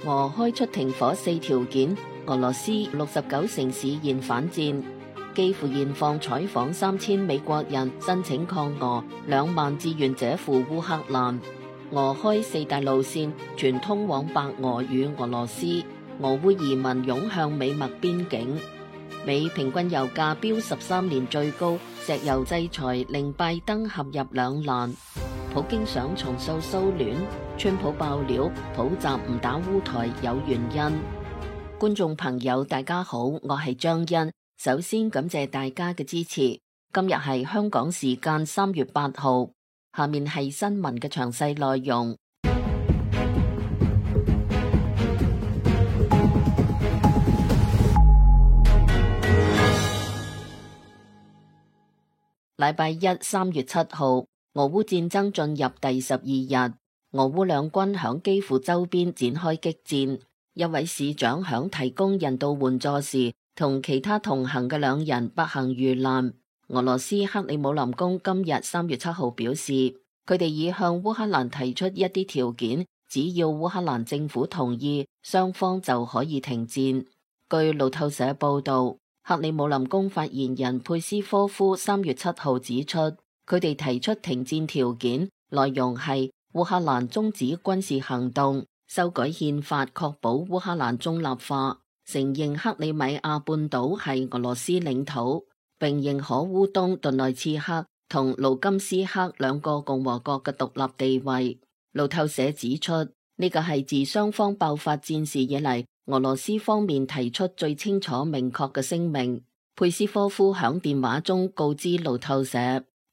俄開出停火4條件，俄羅斯69城市現反戰。基輔現況採訪3000美國人申請抗俄，2萬志願者赴烏克蘭。俄開4大路線，全通往白俄與俄羅斯。俄烏移民湧向美墨邊境。美平均油價飆13年最高，石油制裁令拜登陷入兩難。普京想重塑蘇聯，川普爆料普習唔打烏台有原因。觀眾朋友大家好，我係張欣，首先感謝大家嘅支持。今日係香港時間3月8號，下面係新聞嘅詳細內容。禮拜一3月7號，俄烏戰爭進入第12日，俄烏兩軍響基輔周邊展開激戰。一位市長響提供人道援助時，同其他同行嘅兩人不幸遇難。俄羅斯克里姆林宮今日3月7號表示，佢哋已向烏克蘭提出一啲條件，只要烏克蘭政府同意，雙方就可以停戰。據路透社報道，克里姆林宮發言人佩斯科夫3月7號指出，佢哋提出停戰條件，內容係烏克蘭終止軍事行動，修改憲法確保烏克蘭中立化，承認克里米亞半島係俄羅斯領土，並認可烏東頓內茨克同盧甘斯克兩個共和國嘅獨立地位。路透社指出，呢個係自雙方爆發戰事以嚟，俄羅斯方面提出最清楚明確嘅聲明。佩斯科夫響電話中告知路透社，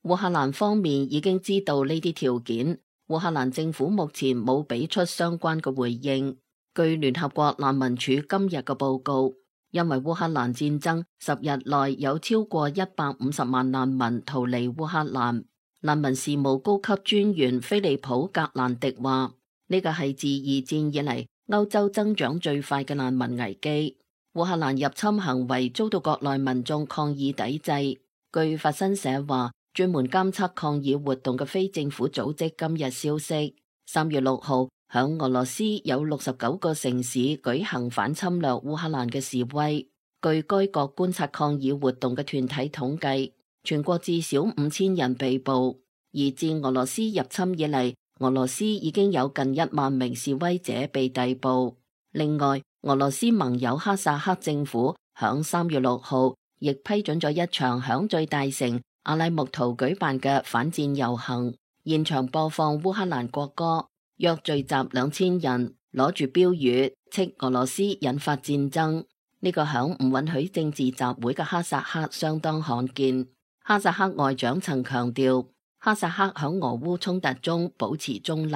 烏克蘭方面已經知道呢啲條件，烏克蘭政府目前冇俾出相關嘅回應。據聯合國難民署今日嘅報告，因為烏克蘭戰爭10日內有超過150萬難民逃離烏克蘭。難民事務高級專員菲利普格蘭迪話，呢個係自2戰以嚟歐洲增長最快嘅難民危機。烏克蘭入侵行為遭到國內民眾抗議抵制。據法新社話，專門監測抗議活動嘅非政府組織今日消息，3月6號響俄羅斯有69個城市舉行反侵略烏克蘭嘅示威。據該國觀察抗議活動嘅團體統計，全國至少5000人被捕。而自俄羅斯入侵以嚟，俄羅斯已經有近1萬名示威者被逮捕。另外，俄羅斯盟友哈薩克政府響3月6號亦批准咗一場響最大城阿拉木圖舉辦嘅反戰遊行，現場播放烏克蘭國歌，約聚集2000人，攞住標語斥俄羅斯引發戰爭。呢個響唔允許政治集會嘅哈薩克相當罕見。哈薩克外長曾強調，哈薩克響俄烏衝突中保持中立。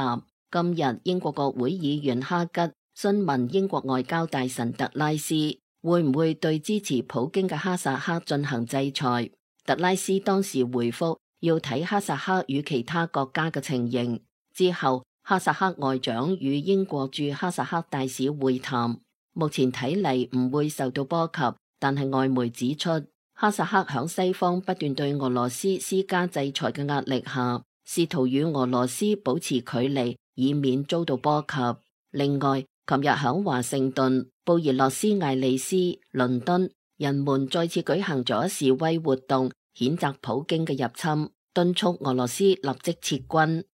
今日英國國會議員哈吉詢問英國外交大臣特拉斯會唔會對支持普京嘅哈薩克進行制裁。特拉斯當時回覆要睇哈薩克與其他國家嘅情形。之後哈薩克外長與英國駐哈薩克大使會談，目前睇嚟唔會受到波及，但係外媒指出，哈薩克響西方不斷對俄羅斯施加制裁嘅壓力下，試圖與俄羅斯保持距離，以免遭到波及。另外，琴日響華盛頓、布宜諾斯艾利斯、倫敦，人們再次舉行咗示威活動，譴責普京嘅入侵，敦促俄羅斯立即撤軍。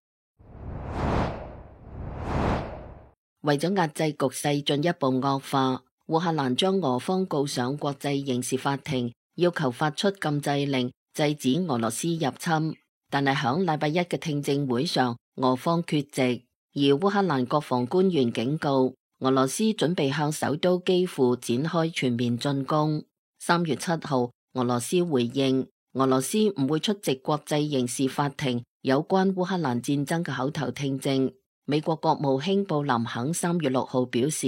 為咗壓制局勢進一步惡化，烏克蘭將俄方告上國際刑事法庭，要求發出禁制令，制止俄羅斯入侵。但係響禮拜一嘅聽證會上，俄方缺席。而烏克蘭國防官員警告，俄羅斯準備向首都基輔展開全面進攻。3月7號，俄羅斯回應，俄羅斯唔會出席國際刑事法庭有關烏克蘭戰爭嘅口頭聽證。美國國務卿布林肯3月6號表示，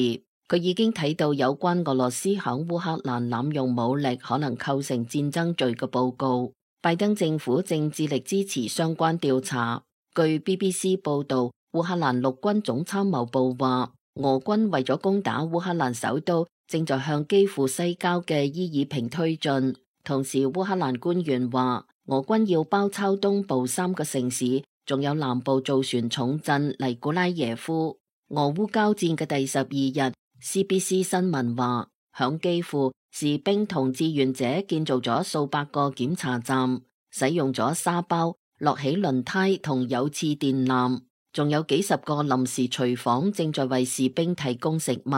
佢已經睇到有關俄羅斯響烏克蘭濫用武力可能構成戰爭罪嘅報告。拜登政府正致力支持相關調查。據 BBC 報道，烏克蘭陸軍總參謀部話，俄軍為咗攻打烏克蘭首都，正在向基輔西郊嘅伊爾平推進。同時，烏克蘭官員話，俄軍要包抄東部3個城市，仲有南部造船重鎮尼古拉耶夫。俄烏交戰嘅第12日 ，CBC 新聞話，響基輔，士兵同志願者建造咗數百個檢查站，使用咗沙包、駱起輪胎同有刺電纜，仲有幾十個臨時廚房正在為士兵提供食物。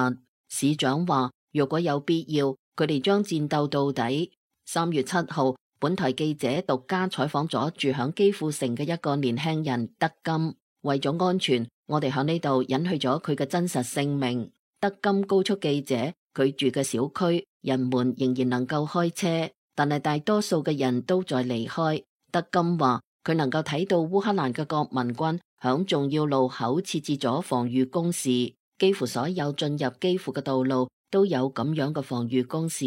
市長話，如果有必要，佢哋將戰鬥到底。3月7號，本台記者獨家採訪咗住響基輔城嘅一個年輕人德金。為咗安全，我哋響呢度隱去咗佢嘅真實姓名。德金告訴記者，佢住嘅小區人們仍然能夠開車，但係大多數嘅人都在離開。德金話，佢能夠睇到烏克蘭嘅國民軍響重要路口設置咗防禦工事，幾乎所有進入基輔嘅道路都有咁樣嘅防禦工事。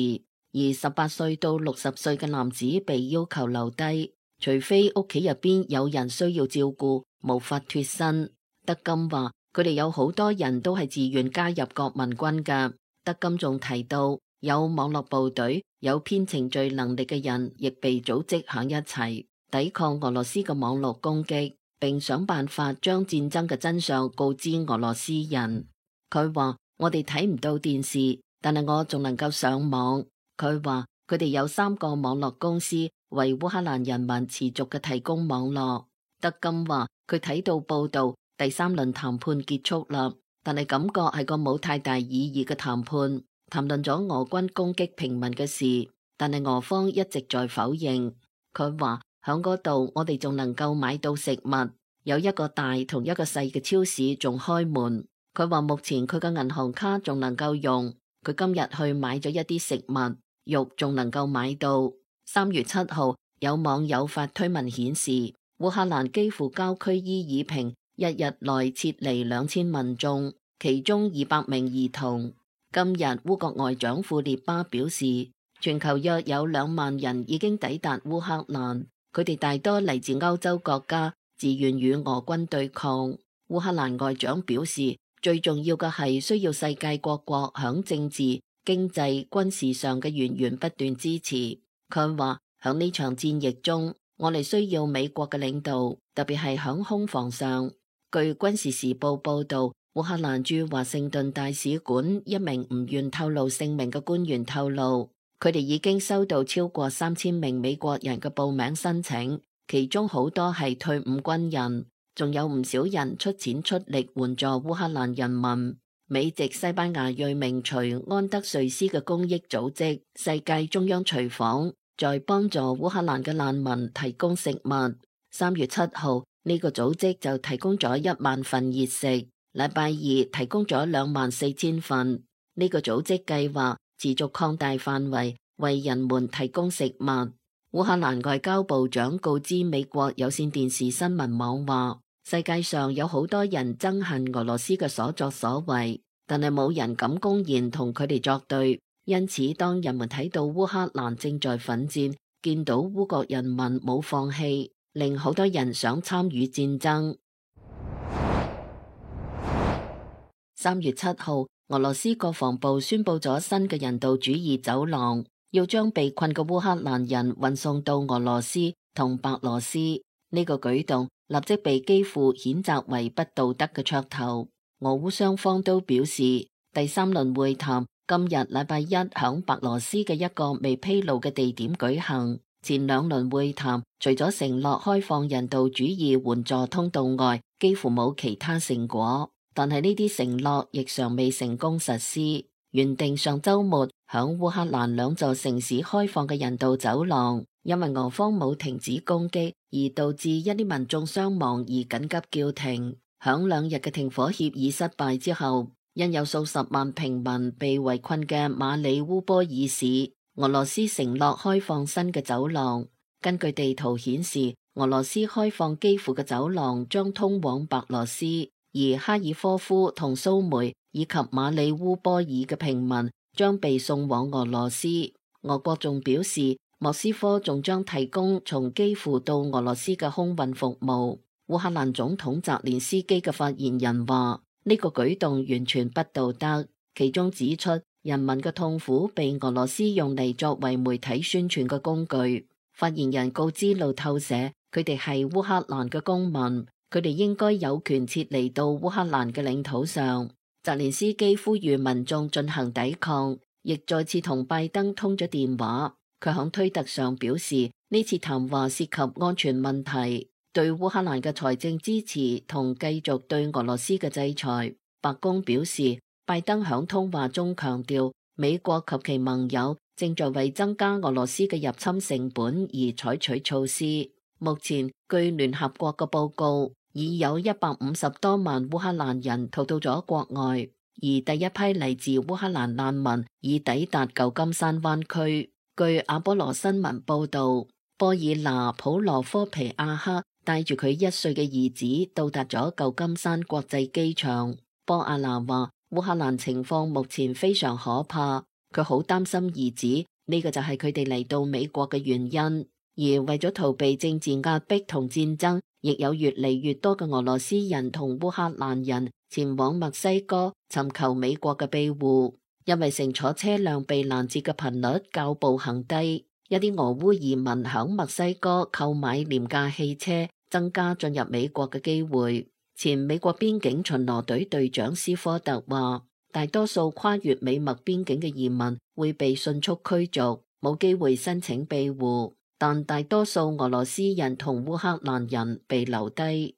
而18歲到60歲嘅男子被要求留低，除非屋企入邊有人需要照顧，無法脫身。德金話，佢哋有好多人都係自願加入國民軍㗎。德金仲提到，有網絡部隊、有編程序能力嘅人，亦被組織喺一齊抵抗俄羅斯嘅網絡攻擊，並想辦法將戰爭嘅真相告知俄羅斯人。佢話，我哋睇唔到電視，但係我仲能夠上網。佢話，佢哋有3個網絡公司為烏克蘭人民持續嘅提供網絡。德金話，佢睇到報道，第3輪談判結束啦，但係感覺係個冇太大意義嘅談判，談論咗俄軍攻擊平民嘅事，但係俄方一直在否認。佢話，響嗰度我哋仲能夠買到食物，有一個大同一個細嘅超市仲開門。佢話目前佢嘅銀行卡仲能夠用，佢今日去買咗一啲食物，肉仲能夠買到。3月7號，有網友發推文顯示，烏克蘭基輔郊區伊爾平一日內撤離2000民眾，其中200名兒童。今日烏國外長庫列巴表示，全球約有2萬人已經抵達烏克蘭，佢哋大多嚟自歐洲國家，自願與俄軍對抗。烏克蘭外長表示，最重要嘅係需要世界各國響政治、經濟、軍事上嘅源源不斷支持。佢話響呢場戰役中，我哋需要美國嘅領導，特別係響空防上。據軍事時報報道，烏克蘭駐華盛頓大使館一名唔願透露姓名嘅官員透露，佢哋已經收到超過3000名美國人嘅報名申請，其中好多係退伍軍人，仲有唔少人出錢出力援助烏克蘭人民。美籍西班牙裔名廚安德瑞斯嘅公益組織世界中央廚房在幫助烏克蘭嘅難民提供食物。3月7號，呢個組織就提供咗1萬份熱食，禮拜二提供咗24000份。呢個組織計劃持續擴大範圍，為人們提供食物。烏克蘭外交部長告知美國有線電視新聞網話，世界上有好多人憎恨俄羅斯嘅所作所為，但係冇人敢公然同佢哋作對。因此，當人們睇到烏克蘭正在奮戰，見到烏國人民冇放棄，令好多人想參與戰爭。3月7號，俄羅斯國防部宣布咗新嘅人道主義走廊，要將被困嘅烏克蘭人運送到俄羅斯同白羅斯。呢個舉動立即被基輔譴責為不道德嘅噱頭。俄烏雙方都表示，第3輪會談今日禮拜一響白羅斯嘅一個未披露嘅地點舉行。前2輪會談除咗承諾開放人道主義援助通道外，幾乎冇其他成果。但係呢啲承諾亦尚未成功實施。原定上週末響烏克蘭2座城市開放嘅人道走廊，因為俄方冇停止攻擊，而導致一啲民眾傷亡而緊急叫停。響2日嘅停火協議失敗之後，因有數十萬平民被圍困嘅馬里烏波爾市，俄羅斯承諾開放新嘅走廊。根據地圖顯示，俄羅斯開放基輔嘅走廊將通往白羅斯，而哈爾科夫同蘇梅以及馬里烏波爾嘅平民將被送往俄羅斯。俄國仲表示，莫斯科仲將提供從基輔到俄羅斯嘅空運服務。烏克蘭總統澤連斯基嘅發言人話，呢個舉動完全不道德，其中指出人民嘅痛苦被俄羅斯用嚟作為媒體宣傳嘅工具。發言人告知路透社，佢哋係烏克蘭嘅公民，佢哋應該有權撤離到烏克蘭嘅領土上。澤連斯基呼籲民眾進行抵抗，亦再次同拜登通咗電話。佢響推特上表示，呢次談話涉及安全問題，對烏克蘭嘅財政支持同繼續對俄羅斯嘅制裁。白宮表示，拜登響通話中強調，美國及其盟友正在為增加俄羅斯嘅入侵成本而採取措施。目前據聯合國嘅報告，已有150多萬烏克蘭人逃到咗國外，而第一批嚟自烏克蘭難民已抵達舊金山灣區。據阿波羅新聞報道，波爾拿普羅科皮亞克帶住佢1歲嘅兒子到達咗舊金山國際機場。波亞拿話，烏克蘭情況目前非常可怕，佢好擔心兒子，呢個就係佢哋嚟到美國嘅原因。而為咗逃避政治壓迫同戰爭，亦有越嚟越多嘅俄羅斯人同烏克蘭人前往墨西哥尋求美國嘅庇護。因為乘坐車輛被攔截嘅頻率較步行低，一啲俄烏移民響墨西哥購買廉價汽車，增加進入美國嘅機會。前美國邊境巡邏隊隊長斯科特話，大多數跨越美墨邊境嘅移民會被迅速驅逐，冇機會申請庇護，但大多數俄羅斯人同烏克蘭人被留低。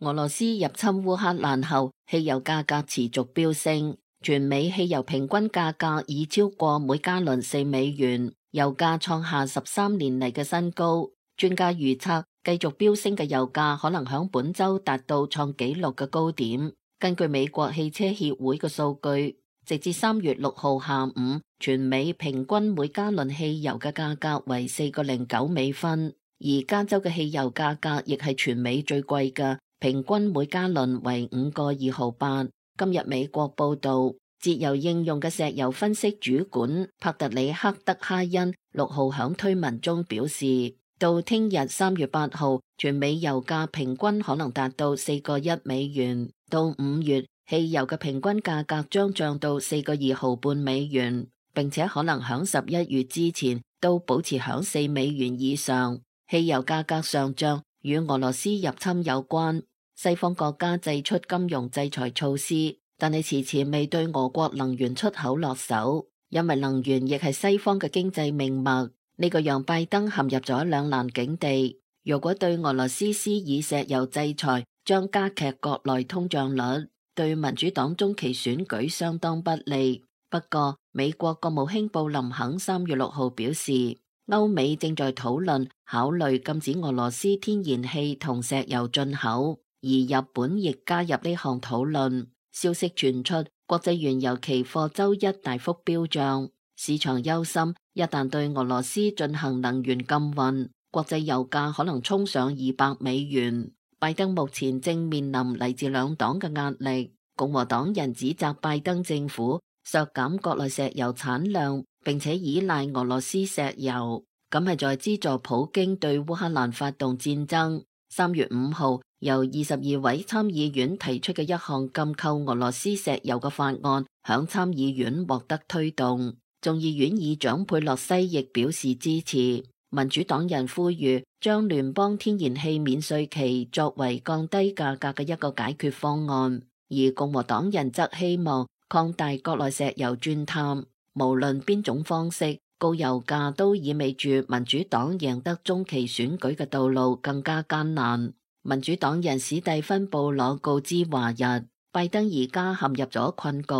俄羅斯入侵烏克蘭後，汽油價格持續飆升，全美汽油平均價格已超過每加侖$4，油價創下13年嚟嘅新高。專家預測，繼續飆升嘅油價可能響本周達到創紀錄嘅高點。根據美國汽車協會嘅數據，直至3月6號下午，全美平均每加侖汽油嘅價格為$4.09，而加州嘅汽油價格亦係全美最貴嘅。平均每加侖為$5.28。今日美國報道，節油應用嘅石油分析主管帕特里克德哈恩6號響推文中表示，到聽日3月8號，全美油價平均可能達到$4.1，到5月汽油嘅平均價格將漲到$4.25，並且可能響11月之前都保持響$4以上。汽油價格上漲與俄羅斯入侵有關。西方國家祭出金融制裁措施，但係遲遲未對俄國能源出口落手，因為能源亦係西方嘅經濟命脈。呢個讓拜登陷入咗兩難境地。如果對俄羅斯施以石油制裁，將加劇國內通脹率，對民主黨中期選舉相當不利。不過，美國國務卿布林肯3月6號表示，歐美正在討論考慮禁止俄羅斯天然氣同石油進口。而日本亦加入呢項討論。消息傳出，國際原油期貨周一大幅飆漲，市場憂心一旦對俄羅斯進行能源禁運，國際油價可能衝上$200。拜登目前正面臨嚟自兩黨嘅壓力，共和黨人指責拜登政府削減國內石油產量，並且依賴俄羅斯石油，咁係在資助普京對烏克蘭發動戰爭。3月5號，由22位參議院提出嘅一項禁購俄羅斯石油嘅法案，響參議院獲得推動。眾議院議長佩洛西亦表示支持。民主黨人呼籲將聯邦天然氣免稅期作為降低價格嘅一個解決方案，而共和黨人則希望擴大國內石油鑽探。無論邊種方式，高油價都意味住民主黨贏得中期選舉嘅道路更加艱難。民主黨人史蒂芬布朗告知華日，拜登而家陷入咗困局。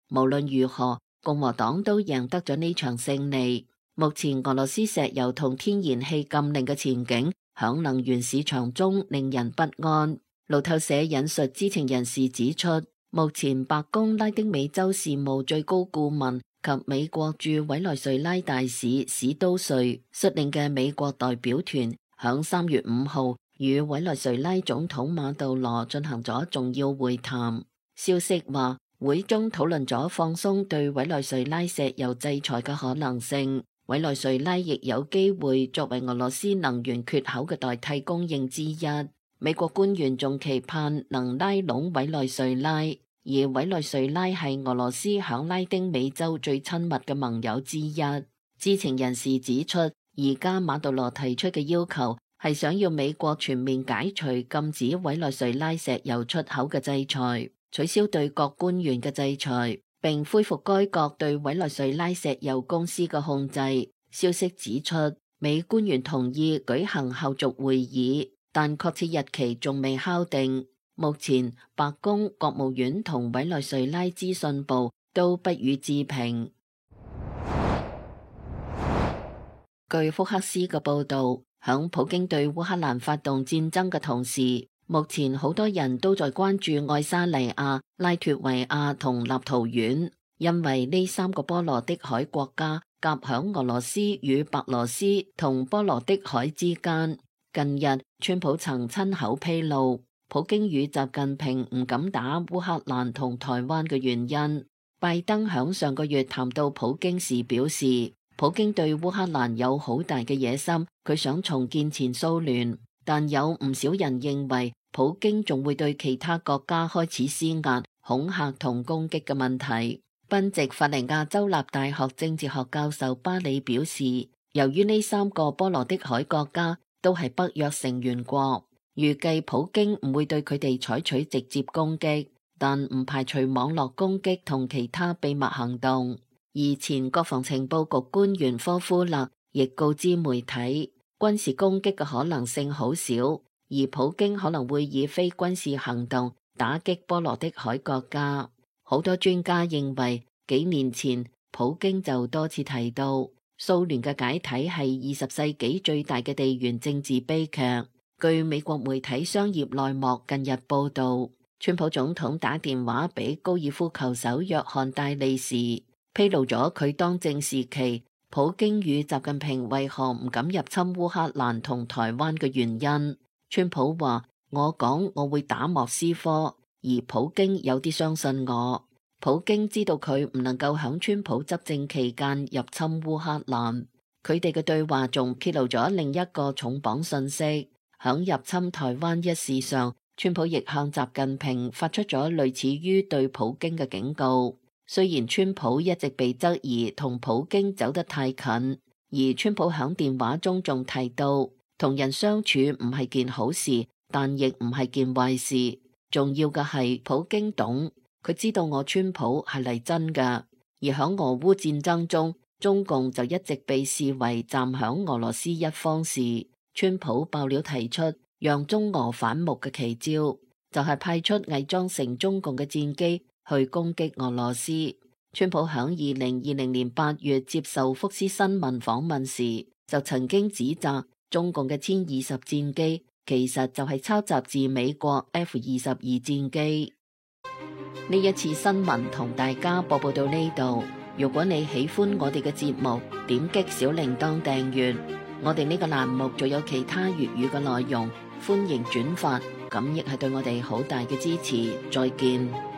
無論如何，共和黨都贏得咗呢場勝利。目前俄羅斯石油同天然氣禁令嘅前景響能源市場中令人不安。路透社引述知情人士指出，目前白宮拉丁美洲事務最高顧問及美國駐委內瑞拉大使史都瑞率領嘅美國代表團響3月5號與委內瑞拉總統馬杜羅進行咗重要會談。消息話，會中討論咗放鬆對委內瑞拉石油制裁嘅可能性。委內瑞拉亦有機會作為俄羅斯能源缺口嘅代替供應之一。美國官員仲期盼能拉攏委內瑞拉，而委內瑞拉係俄羅斯響拉丁美洲最親密嘅盟友之一。知情人士指出，而家馬杜羅提出嘅要求係想要美國全面解除禁止委內瑞拉石油出口嘅制裁，取消對各官員嘅制裁，並恢復該國對委內瑞拉石油公司嘅控制。消息指出，美官員同意舉行後續會議，但確切日期仲未敲定。目前，白宮、國務院同委內瑞拉資訊部都不予置評。據福克斯嘅報導，響普京對烏克蘭發動戰爭嘅同時，目前好多人都在關注愛沙尼亞、拉脱維亞同立陶宛，因為呢三個波羅的海國家夾響俄羅斯與白羅斯同波羅的海之間。近日，川普曾親口披露，普京與習近平唔敢打烏克蘭同台灣嘅原因。拜登響上個月談到普京時表示，普京對烏克蘭有好大嘅野心，佢想重建前蘇聯，但有唔少人認為普京仲會對其他國家開始施壓、恐嚇同攻擊嘅問題。賓夕法尼亞州立大學政治學教授巴里表示，由於呢三個波羅的海國家都係北約成員國，預計普京唔會對佢哋採取直接攻擊，但唔排除網絡攻擊同其他秘密行動。而前國防情報局官員科夫勒亦告知媒體，軍事攻擊嘅可能性好少，而普京可能會以非軍事行動打擊波羅的海國家。好多專家認為，幾年前普京就多次提到，蘇聯嘅解體係20世紀最大嘅地緣政治悲劇。據美國媒體商業內幕近日報道，川普總統打電話俾高爾夫球手約翰戴利時，披露咗佢當政時期普京與習近平為何唔敢入侵烏克蘭同台灣嘅原因。川普話：我講我會打莫斯科，而普京有啲相信我。普京知道佢唔能夠響川普執政期間入侵烏克蘭。佢哋嘅對話仲揭露咗另一個重磅信息，響入侵台灣一事上，川普亦向習近平發出咗類似於對普京嘅警告。雖然川普一直被質疑同普京走得太近，而川普響電話中仲提到，同人相處唔係件好事，但亦唔係件壞事。重要嘅係普京懂，佢知道我川普係嚟真㗎。而響俄烏戰爭中，中共就一直被視為站響俄羅斯一方時，川普爆料提出讓中俄反目嘅奇招，就係派出偽裝成中共嘅戰機去攻擊俄羅斯。川普響2020年8月接受福斯新聞訪問時，就曾經指責中共嘅殲20戰機其實就係抄襲自美國 F-22戰機。呢一次新聞同大家播報到呢度。如果你喜歡我哋嘅節目，點擊小鈴鐺訂閱。我哋呢個欄目仲有其他粵語嘅內容，歡迎轉發，咁亦係對我哋好大嘅支持。再見。